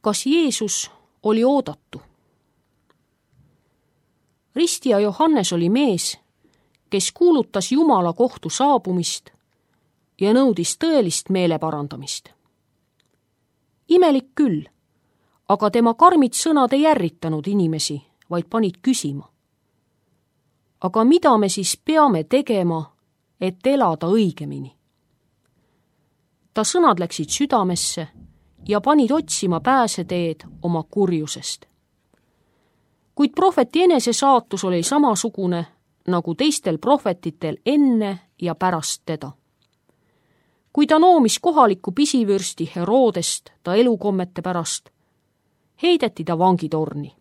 Kas Jeesus oli oodatu? Ristija Johannes oli mees, kes kuulutas Jumala kohtu saabumist ja nõudis tõelist meeleparandamist. Imelik küll, aga tema karmid sõnad ei ärritanud inimesi, vaid panid küsima. Aga mida me siis peame tegema, et elada õigemini? Ta sõnad läksid südamesse ja panid otsima pääseteed oma kurjusest. Kuid prohveti enese saatus oli samasugune nagu teistel prohvetitel enne ja pärast teda. Kui ta noomis kohalikku pisivürsti Herodest ta elukommete pärast, heideti ta vangitorni.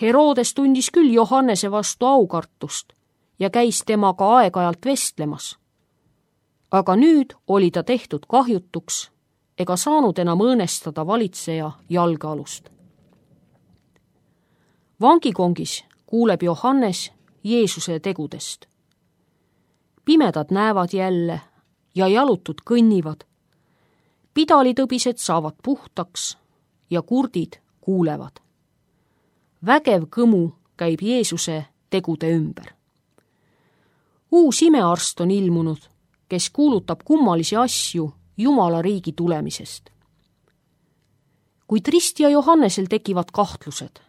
Herodes tundis küll Johannese vastu aukartust ja käis temaga aeg-ajalt vestlemas. Aga nüüd oli ta tehtud kahjutuks ega saanud enam õõnestada valitseja jalgealust. Vangikongis kuuleb Johannes Jeesuse tegudest. Pimedad näevad jälle ja jalutud kõnnivad. Pidalitõbised saavad puhtaks ja kurdid kuulevad. Vägev kõmu käib Jeesuse tegude ümber. Uus imearst on ilmunud, kes kuulutab kummalisi asju Jumala riigi tulemisest. Kuid ristija Johannesel tekivad kahtlused.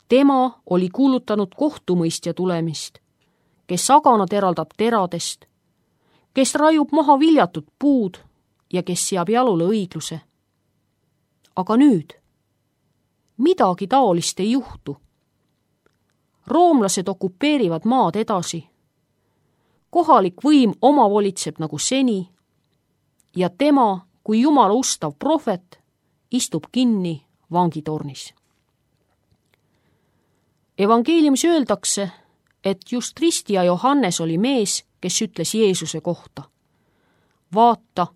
Tema oli kuulutanud kohtumõistja tulemist, kes aganad eraldab teradest, kes raiub maha viljatud puud ja kes seab jalule õigluse. Aga nüüd midagi taolist ei juhtu. Roomlased okupeerivad maad edasi. Kohalik võim omavolitseb nagu seni ja tema, kui Jumala ustav prohvet, istub kinni vangitornis. Evangeeliumis öeldakse, et just ristija Johannes oli mees, kes ütles Jeesuse kohta. Vaata,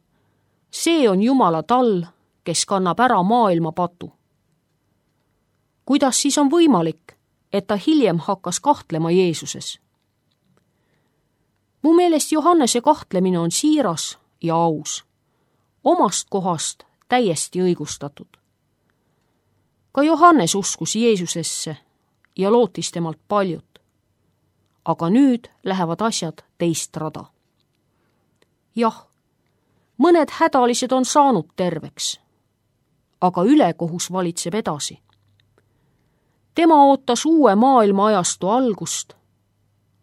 see on Jumala tall, kes kannab ära maailma patu. Kuidas siis on võimalik, et ta hiljem hakkas kahtlema Jeesuses? Mu meelest Johannese kahtlemine on siiras ja aus, omast kohast täiesti õigustatud. Ka Johannes uskus Jeesusesse ja lootis temalt paljut. Aga nüüd lähevad asjad teist rada. Jah, mõned hädalised on saanud terveks, aga ülekohus valitseb edasi. Tema ootas uue maailma ajastu algust,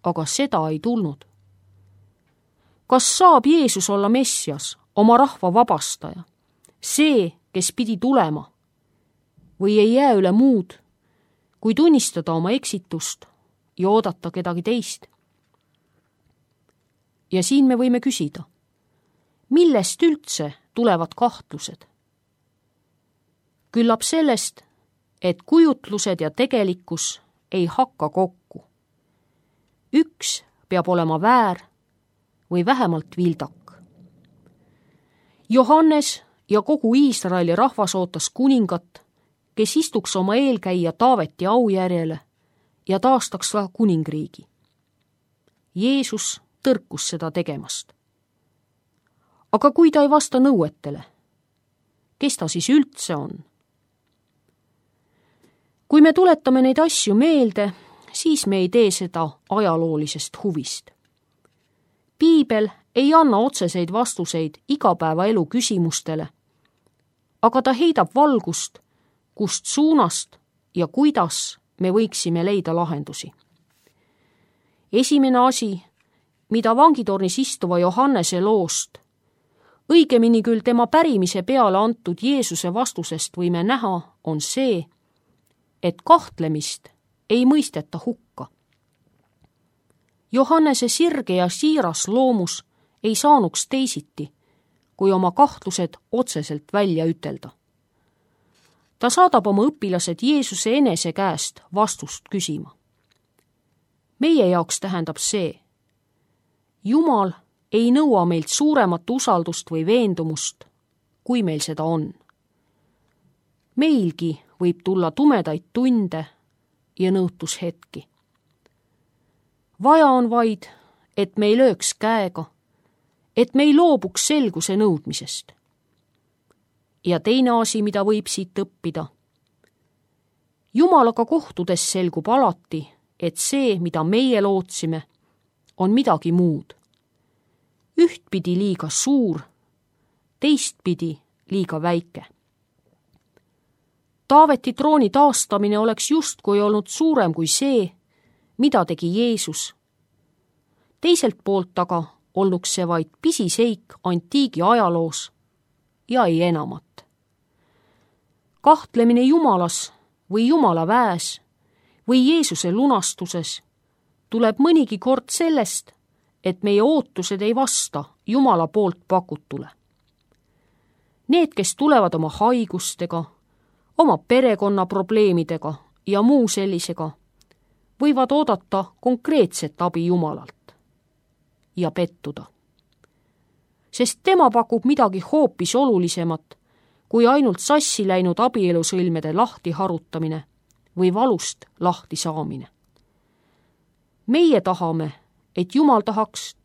aga seda ei tulnud. Kas saab Jeesus olla Messias, oma rahva vabastaja, see, kes pidi tulema, või ei jää üle muud, kui tunnistada oma eksitust ja oodata kedagi teist? Ja siin me võime küsida, millest üldse tulevad kahtlused? Küllap sellest, et kujutlused ja tegelikkus ei hakka kokku. Üks peab olema väär või vähemalt vildak. Johannes ja kogu Iisraeli rahvas ootas kuningat, kes istuks oma eelkäija Taaveti aujärjele ja taastaks ka kuningriigi. Jeesus tõrkus seda tegemast. Aga kui ta ei vasta nõuetele, kes ta siis üldse on? Kui me tuletame neid asju meelde, siis me ei tee seda ajaloolisest huvist. Piibel ei anna otseseid vastuseid igapäevaelu küsimustele, aga ta heidab valgust, kust suunast ja kuidas me võiksime leida lahendusi. Esimene asi, mida vangitornis istuva Johannese loost, õigemini küll tema pärimise peale antud Jeesuse vastusest võime näha, on see, et kahtlemist ei mõisteta hukka. Johannese sirge ja siiras loomus ei saanuks teisiti, kui oma kahtlused otseselt välja ütelda. Ta saadab oma õpilased Jeesuse enese käest vastust küsima. Meie jaoks tähendab see, Jumal ei nõua meilt suuremat usaldust või veendumust, kui meil seda on. Meilgi võib tulla tumedaid tunde ja nõutushetki. Vaja on vaid, et me ei lööks käega, et me ei loobuks selguse nõudmisest. ja teine asi, mida võib siit õppida. Jumalaga kohtudes selgub alati, et see, mida meie lootsime, on midagi muud. Ühtpidi liiga suur, teistpidi liiga väike. Taaveti trooni taastamine oleks justkui olnud suurem kui see, mida tegi Jeesus. Teiselt poolt aga olnuks see vaid pisiseik antiigi ajaloos ja ei enamat. Kahtlemine Jumalas või Jumala väes või Jeesuse lunastuses tuleb mõnigi kord sellest, et meie ootused ei vasta Jumala poolt pakutule. Need, kes tulevad oma haigustega, oma perekonna probleemidega ja muu sellisega, võivad oodata konkreetset abi Jumalalt ja pettuda. Sest tema pakub midagi hoopis olulisemat kui ainult sassi läinud abielusõlmede lahti harutamine või valust lahti saamine. Meie tahame, et Jumal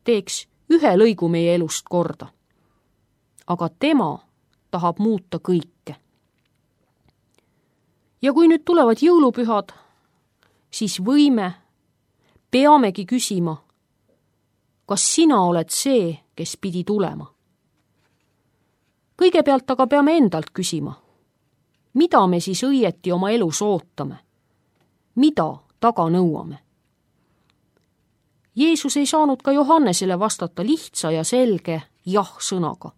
teeks ühe lõigu meie elust korda. Aga tema tahab muuta kõike. Ja kui nüüd tulevad jõulupühad, siis peamegi küsima, kas sina oled see, kes pidi tulema. Kõigepealt aga peame endalt küsima, mida me siis õieti oma elus ootame, mida taga nõuame. Jeesus ei saanud ka Johannesele vastata lihtsa ja selge jah-sõnaga,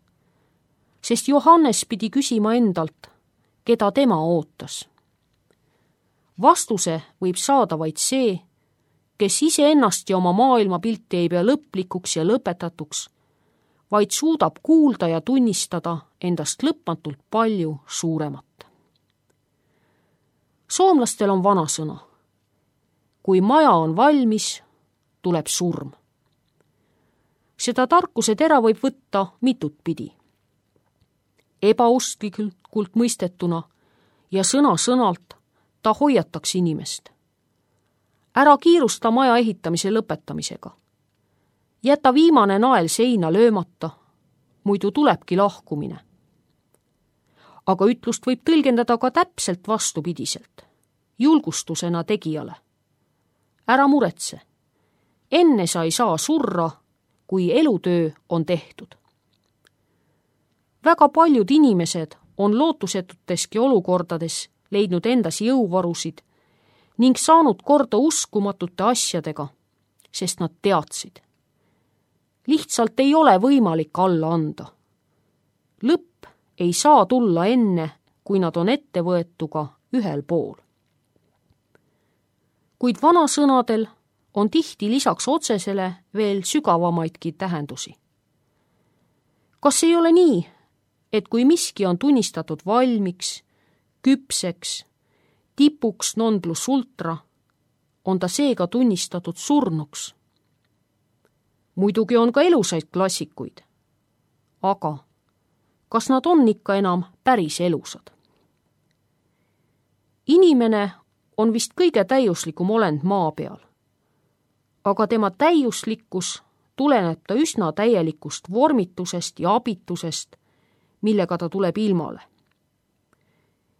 sest Johannes pidi küsima endalt, keda tema ootas. Vastuse võib saada vaid see, kes iseennast ja oma maailmapilti ei pea lõplikuks ja lõpetatuks, vaid suudab kuulda ja tunnistada endast lõpmatult palju suuremat. Soomlastel on vanasõna: kui maja on valmis, tuleb surm. Seda tarkuse tera võib võtta mitut pidi. Ebausklikult mõistetuna ja sõna-sõnalt ta hoiataks inimest. Ära kiirusta maja ehitamise lõpetamisega. Jäta viimane nael seina löömata, muidu tulebki lahkumine. Aga ütlust võib tõlgendada ka täpselt vastupidiselt, julgustusena tegijale. Ära muretse, enne sa ei saa surra, kui elutöö on tehtud. Väga paljud inimesed on lootusetuteski olukordades leidnud endas jõuvarusid ning saanud korda uskumatute asjadega, sest nad teadsid. Lihtsalt ei ole võimalik alla anda. Lõpp ei saa tulla enne, kui nad on ettevõetuga ühel pool. Kuid vanasõnadel on tihti lisaks otsesele veel sügavamaidki tähendusi. Kas ei ole nii, et kui miski on tunnistatud valmiks, küpseks, tipuks non plus ultra, on ta seega tunnistatud surnuks? Muidugi on ka elusaid klassikuid, aga kas nad on ikka enam päris elusad? Inimene on vist kõige täiuslikum olend maa peal, aga tema täiuslikkus tuleneb ta üsna täielikust vormitusest ja abitusest, millega ta tuleb ilmale.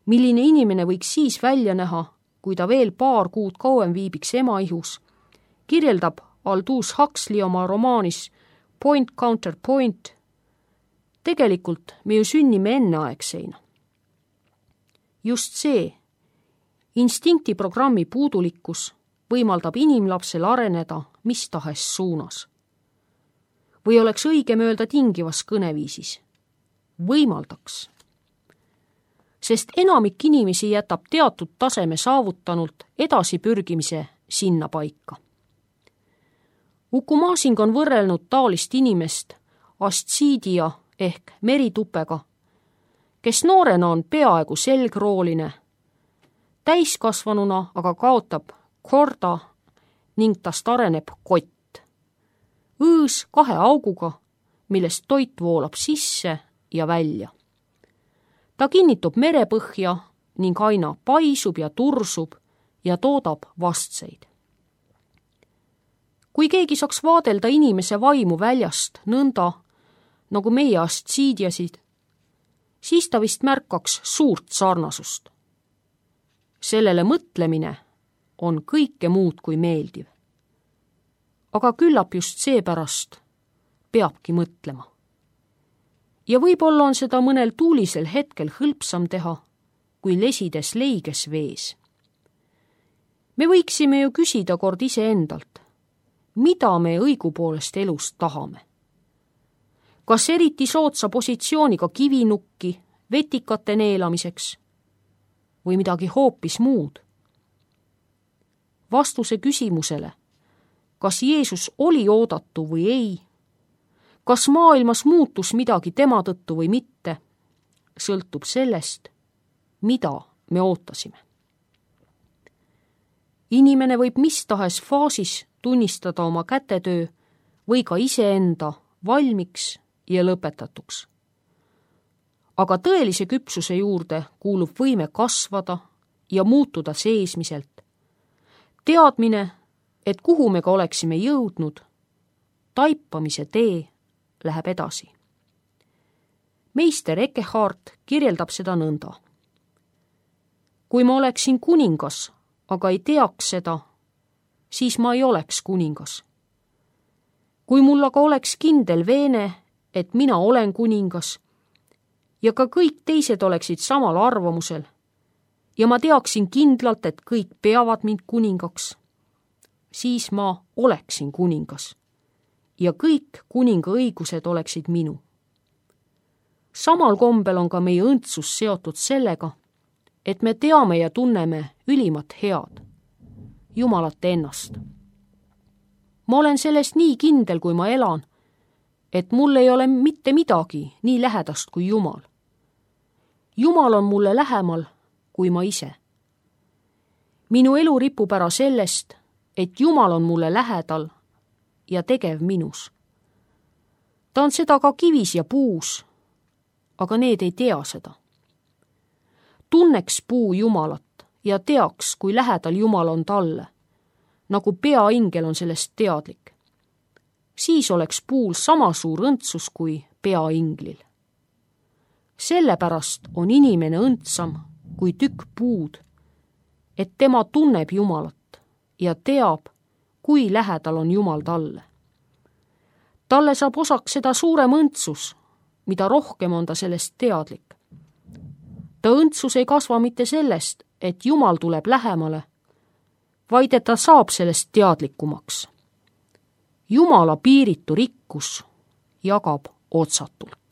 Milline inimene võiks siis välja näha, kui ta veel paar kuud kauem viibiks ema ihus, kirjeldab Aldous Huxley oma romaanis Point Counterpoint. Tegelikult me ju sünnime enneaegseina. Just see instinktiprogrammi puudulikkus võimaldab inimlapsel areneda mis tahes suunas. Või oleks õigem öelda tingivas kõneviisis: võimaldaks. Sest enamik inimesi jätab teatud taseme saavutanult edasipürgimise sinna paika. Uku Masing on võrrelnud taolist inimest astsiidia ehk meritupega, kes noorena on peaaegu selgrooline, täiskasvanuna aga kaotab korda ning tast areneb kott. Õõs 2 auguga, millest toit voolab sisse ja välja. Ta kinnitub merepõhja ning aina paisub ja tursub ja toodab vastseid. Kui keegi saaks vaadelda inimese vaimu väljast nõnda, nagu meie astsiidiasid, siis ta vist märkaks suurt sarnasust. Sellele mõtlemine on kõike muud kui meeldiv. Aga küllap just seepärast peabki mõtlema. Ja võib-olla on seda mõnel tuulisel hetkel hõlpsam teha, kui lesides leiges vees. Me võiksime ju küsida kord iseendalt, mida me õigupoolest elust tahame. Kas eriti soodsa positsiooniga kivinukki vetikate neelamiseks või midagi hoopis muud? Vastuse küsimusele, kas Jeesus oli oodatu või ei, kas maailmas muutus midagi tema tõttu või mitte, sõltub sellest, mida me ootasime. Inimene võib mis tahes faasis tunnistada oma kätetöö või ka iseenda valmiks ja lõpetatuks. Aga tõelise küpsuse juurde kuulub võime kasvada ja muutuda seesmiselt. Teadmine, et kuhu me ka oleksime jõudnud, taipamise tee läheb edasi. Meister Eckhart kirjeldab seda nõnda. Kui ma oleksin kuningas, aga ei teaks seda, siis ma ei oleks kuningas. Kui mul aga oleks kindel veene, et mina olen kuningas ja ka kõik teised oleksid samal arvamusel ja ma teaksin kindlalt, et kõik peavad mind kuningaks, siis ma oleksin kuningas ja kõik kuninga õigused oleksid minu. Samal kombel on ka meie õndsus seotud sellega, et me teame ja tunneme ülimat head, Jumalat ennast. Ma olen sellest nii kindel, kui ma elan, et mul ei ole mitte midagi nii lähedast kui Jumal. Jumal on mulle lähemal kui ma ise. Minu elu ripub ära sellest, et Jumal on mulle lähedal ja tegev minus. Ta on seda ka kivis ja puus, aga need ei tea seda. Tunneks puu Jumalat ja teaks, kui lähedal Jumal on talle, nagu peaingel on sellest teadlik. Siis oleks puul sama suur õndsus kui peainglil. Sellepärast on inimene õndsam kui tükk puud, et tema tunneb Jumalat ja teab, kui lähedal on Jumal talle. Talle saab osaks seda suurem õndsus, mida rohkem on ta sellest teadlik. Ta õndsus ei kasva mitte sellest, et Jumal tuleb lähemale, vaid et ta saab sellest teadlikumaks. Jumala piiritu rikkus jagab otsatult.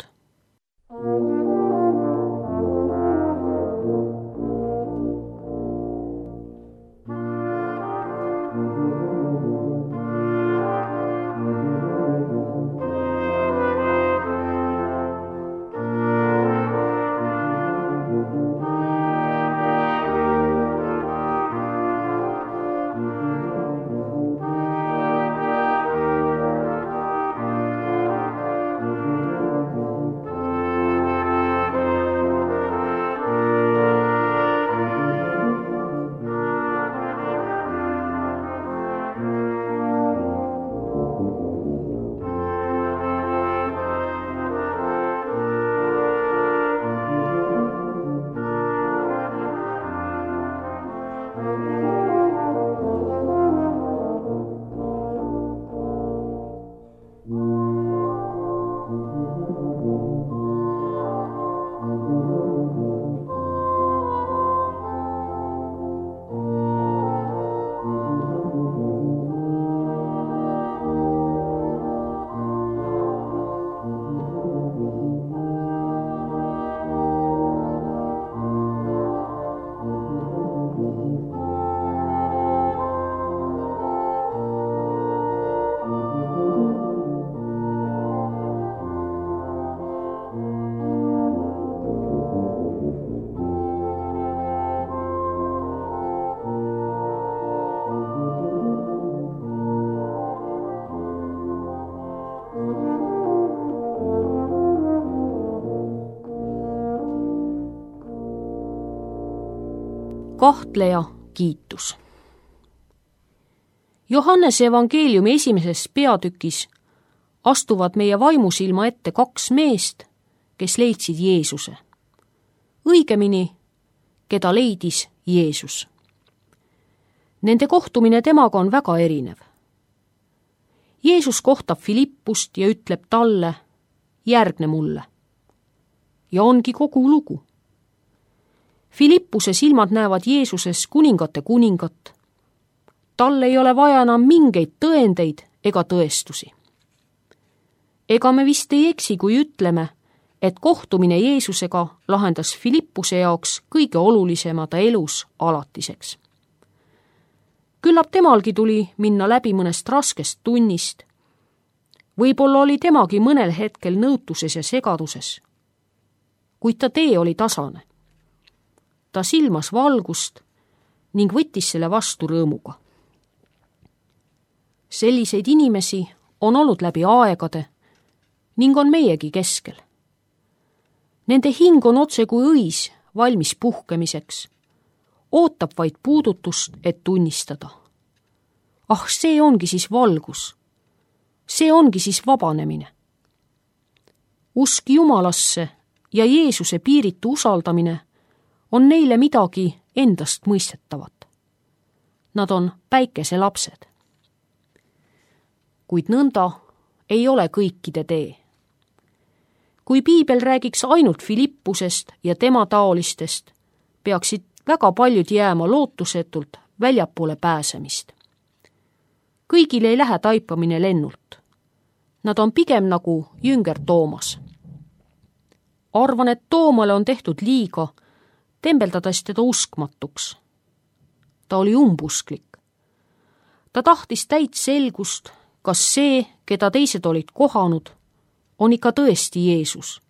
Kahtleja kiitus. Johannese evangeeliumi 1. peatükis astuvad meie vaimusilma ette 2 meest, kes leidsid Jeesuse. õigemini, keda leidis Jeesus. Nende kohtumine temaga on väga erinev. Jeesus kohtab Filippust ja ütleb talle, järgne mulle. Ja ongi kogu lugu. Filippuse silmad näevad Jeesuses kuningate kuningat. Tal ei ole vaja enam mingeid tõendeid ega tõestusi. Ega me vist ei eksi, kui ütleme, et kohtumine Jeesusega lahendas Filippuse jaoks kõige olulisema ta elus alatiseks. Küllap temalgi tuli minna läbi mõnest raskest tunnist. Võib-olla oli temagi mõnel hetkel nõutuses ja segaduses. Kuid ta tee oli tasane. Ta silmas valgust ning võttis selle vastu rõõmuga. Selliseid inimesi on olnud läbi aegade ning on meiegi keskel. Nende hing on otse kui õis valmis puhkemiseks, ootab vaid puudutust, et tunnistada. Ah, see ongi siis valgus. See ongi siis vabanemine. Usk Jumalasse ja Jeesuse piiritu usaldamine on neile midagi endast mõistetavat. Nad on päikeselapsed. Kuid nõnda ei ole kõikide tee. Kui piibel räägiks ainult Filippusest ja tema taolistest, peaksid väga paljud jääma lootusetult väljapoole pääsemist. Kõigil ei lähe taipamine lennult. Nad on pigem nagu jünger Toomas. Arvan, et Toomale on tehtud liiga, tembeldades teda uskmatuks. Ta oli umbusklik. Ta tahtis täit selgust, kas see, keda teised olid kohanud, on ikka tõesti Jeesus.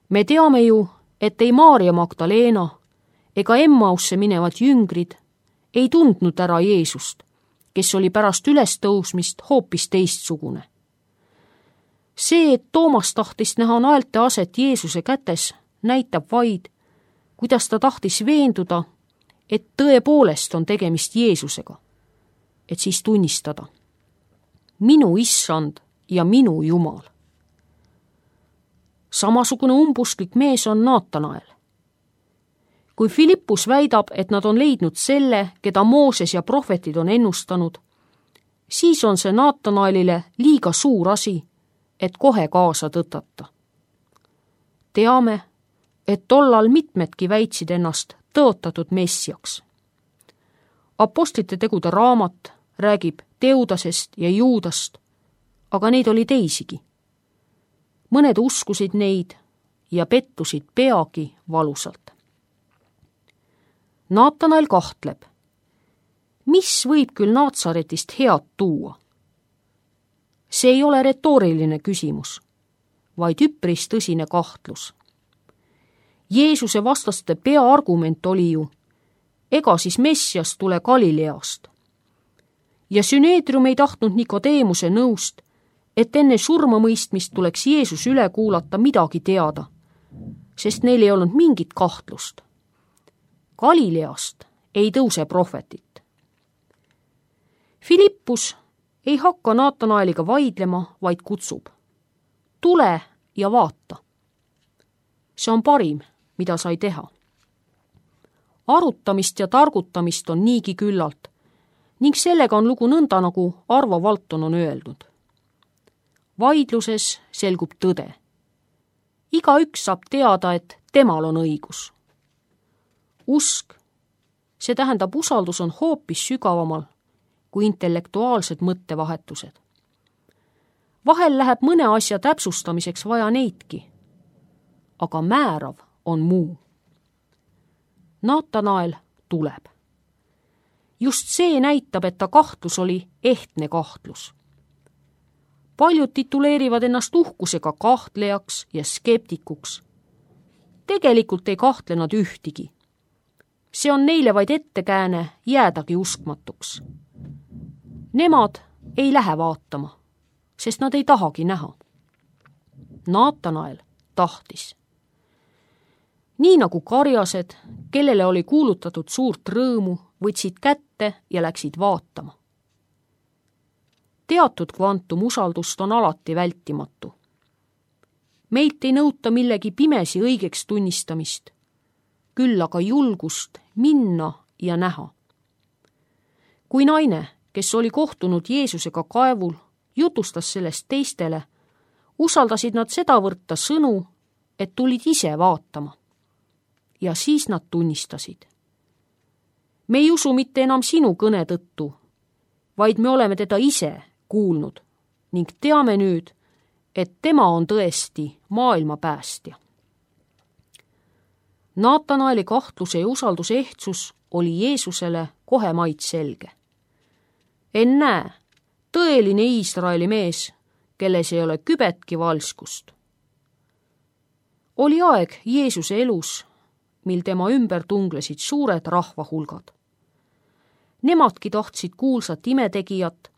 Me teame ju, et ei Maarja Magdalena ega Emmausse minevad jüngrid ei tundnud ära Jeesust, kes oli pärast ülestõusmist hoopis teistsugune. See, et Toomas tahtis näha naelte aset Jeesuse kätes, näitab vaid, kuidas ta tahtis veenduda, et tõepoolest on tegemist Jeesusega, et siis tunnistada. Minu issand ja minu Jumal. Samasugune umbusklik mees on Naatanael. Kui Filippus väidab, et nad on leidnud selle, keda Mooses ja prohvetid on ennustanud, siis on see Naatanaelile liiga suur asi, et kohe kaasa tõtata. Teame, et tollal mitmedki väitsid ennast tõotatud messiaks. Apostlite tegude raamat räägib Teudasest ja Juudast, aga neid oli teisigi. Mõned uskusid neid ja pettusid peagi valusalt. Naatanael kahtleb. Mis võib küll Naatsaretist head tuua? See ei ole retooriline küsimus, vaid üpris tõsine kahtlus. Jeesuse vastaste peaargument oli ju, ega siis Messias tule Galileast. Ja Süneedrium ei tahtnud Nikodeemuse nõust, et enne surmamõistmist tuleks Jeesus üle kuulata midagi teada, sest neil ei olnud mingit kahtlust. Galileast ei tõuse prohvetit. Filippus ei hakka Naatanaeliga vaidlema, vaid kutsub. Tule ja vaata. See on parim, mida sai teha. Arutamist ja targutamist on niigi küllalt ning sellega on lugu nõnda, nagu Arvo Valton on öeldud. Vaidluses selgub tõde. Igaüks saab teada, et temal on õigus. Usk, see tähendab usaldus on hoopis sügavamal kui intellektuaalsed mõttevahetused. Vahel läheb mõne asja täpsustamiseks vaja neidki, aga määrav on muu. Naatanael tuleb. Just see näitab, et ta kahtlus oli ehtne kahtlus. Paljud tituleerivad ennast uhkusega kahtlejaks ja skeptikuks. Tegelikult ei kahtle nad ühtigi. See on neile vaid ettekääne jäädagi uskmatuks. Nemad ei lähe vaatama, sest nad ei tahagi näha. Naatanael tahtis. Nii nagu karjased, kellele oli kuulutatud suurt rõõmu, võtsid kätte ja läksid vaatama. Teatud kvantum usaldust on alati vältimatu. Meilt ei nõuta millegi pimesi õigeks tunnistamist, küll aga julgust minna ja näha. Kui naine, kes oli kohtunud Jeesusega kaevul, jutustas sellest teistele, usaldasid nad sedavõrd ta sõnu, et tulid ise vaatama. Ja siis nad tunnistasid. Me ei usu mitte enam sinu kõne tõttu, vaid me oleme teda ise kuulnud ning teame nüüd, et tema on tõesti maailma päästja. Naatanaeli kahtluse ja usalduse ehtsus oli Jeesusele kohe maid selge. Ennäe, tõeline Iisraeli mees, kelles ei ole kübetki valskust. Oli aeg Jeesuse elus, mil tema ümber tunglesid suured rahvahulgad. Nemadki tahtsid kuulsat imetegijat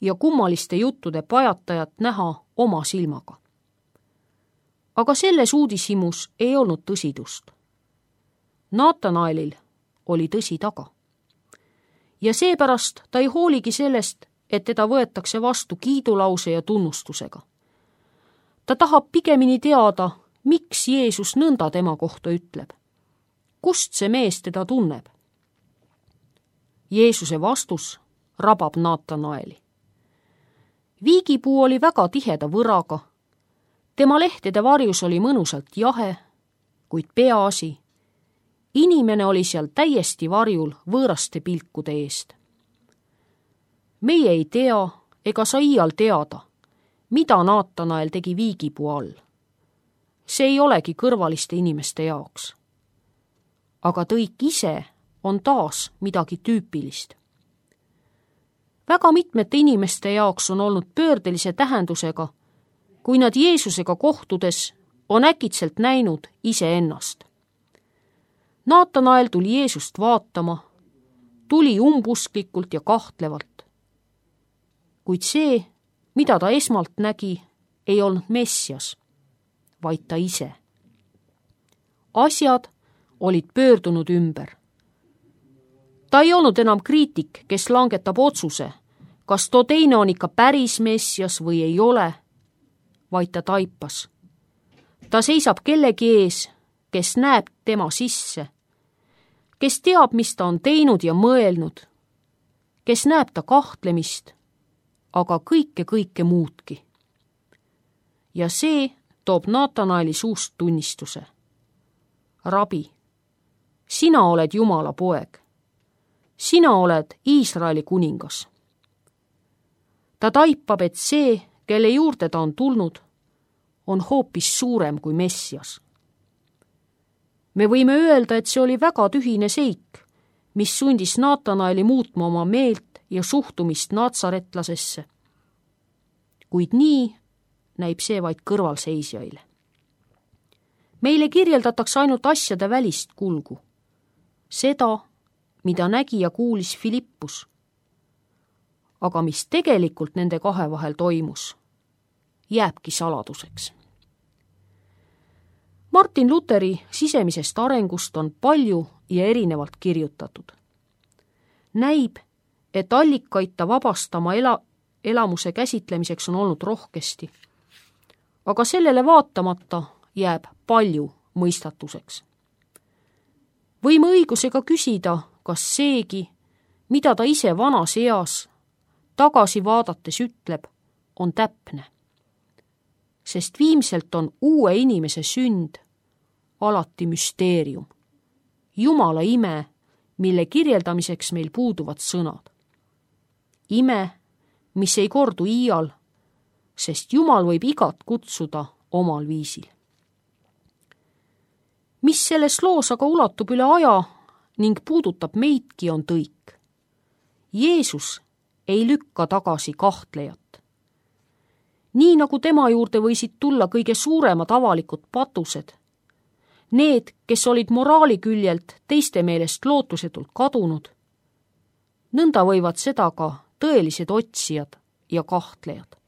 ja kummaliste juttude pajatajat näha oma silmaga. Aga selles uudishimus ei olnud tõsidust. Naatanaelil oli tõsi taga. Ja seepärast ta ei hooligi sellest, et teda võetakse vastu kiidulause ja tunnustusega. Ta tahab pigemini teada, miks Jeesus nõnda tema kohta ütleb. Kust see mees teda tunneb? Jeesuse vastus rabab Naatanaeli. Viigipuu oli väga tiheda võraga. Tema lehtede varjus oli mõnusalt jahe, kuid peaasi, inimene oli seal täiesti varjul võõraste pilkude eest. Meie ei tea ega saa iial teada, mida Naatanael tegi viigipuu all. See ei olegi kõrvaliste inimeste jaoks. Aga tõik ise on taas midagi tüüpilist. Väga mitmete inimeste jaoks on olnud pöördelise tähendusega, kui nad Jeesusega kohtudes on äkitselt näinud iseennast. Naatanael tuli Jeesust vaatama, tuli umbusklikult ja kahtlevalt. Kuid see, mida ta esmalt nägi, ei olnud Messias, vaid ta ise. Asjad olid pöördunud ümber. Ta ei olnud enam kriitik, kes langetab otsuse, kas too teine on ikka päris Messias või ei ole, vaid ta taipas. Ta seisab kellegi ees, kes näeb tema sisse, kes teab, mis ta on teinud ja mõelnud, kes näeb ta kahtlemist, aga kõike muudki. Ja see toob Naatanaeli suust tunnistuse. Rabi, sina oled Jumala poeg. Sina oled Iisraeli kuningas. Ta taipab, et see, kelle juurde ta on tulnud, on hoopis suurem kui Messias. Me võime öelda, et see oli väga tühine seik, mis sundis Naatanaeli muutma oma meelt ja suhtumist naatsaretlasesse. Kuid nii näib see vaid kõrvalseisjaile. Meile kirjeldatakse ainult asjade välist kulgu. Seda, mida nägi ja kuulis Filippus. Aga mis tegelikult nende kahe vahel toimus, jääbki saladuseks. Martin Luteri sisemisest arengust on palju ja erinevalt kirjutatud. Näib, et allikaid ta vabastama elamuse käsitlemiseks on olnud rohkesti, aga sellele vaatamata jääb palju mõistatuseks. Võime õigusega küsida, kas seegi, mida ta ise vanas eas tagasi vaadates ütleb, on täpne. Sest viimselt on uue inimese sünd alati müsteerium. Jumala ime, mille kirjeldamiseks meil puuduvad sõnad. Ime, mis ei kordu iial, sest Jumal võib igat kutsuda omal viisil. Mis selles loos aga ulatub üle aja ning puudutab meidki, on tõik. Jeesus ei lükka tagasi kahtlejat. Nii nagu tema juurde võisid tulla kõige suuremad avalikud patused, need, kes olid moraali küljelt teiste meelest lootusetult kadunud, nõnda võivad seda ka tõelised otsijad ja kahtlejad.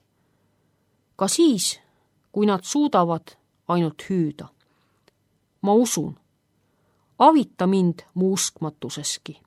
Ka siis, kui nad suudavad ainult hüüda. Ma usun, avita mind mu uskmatuseski.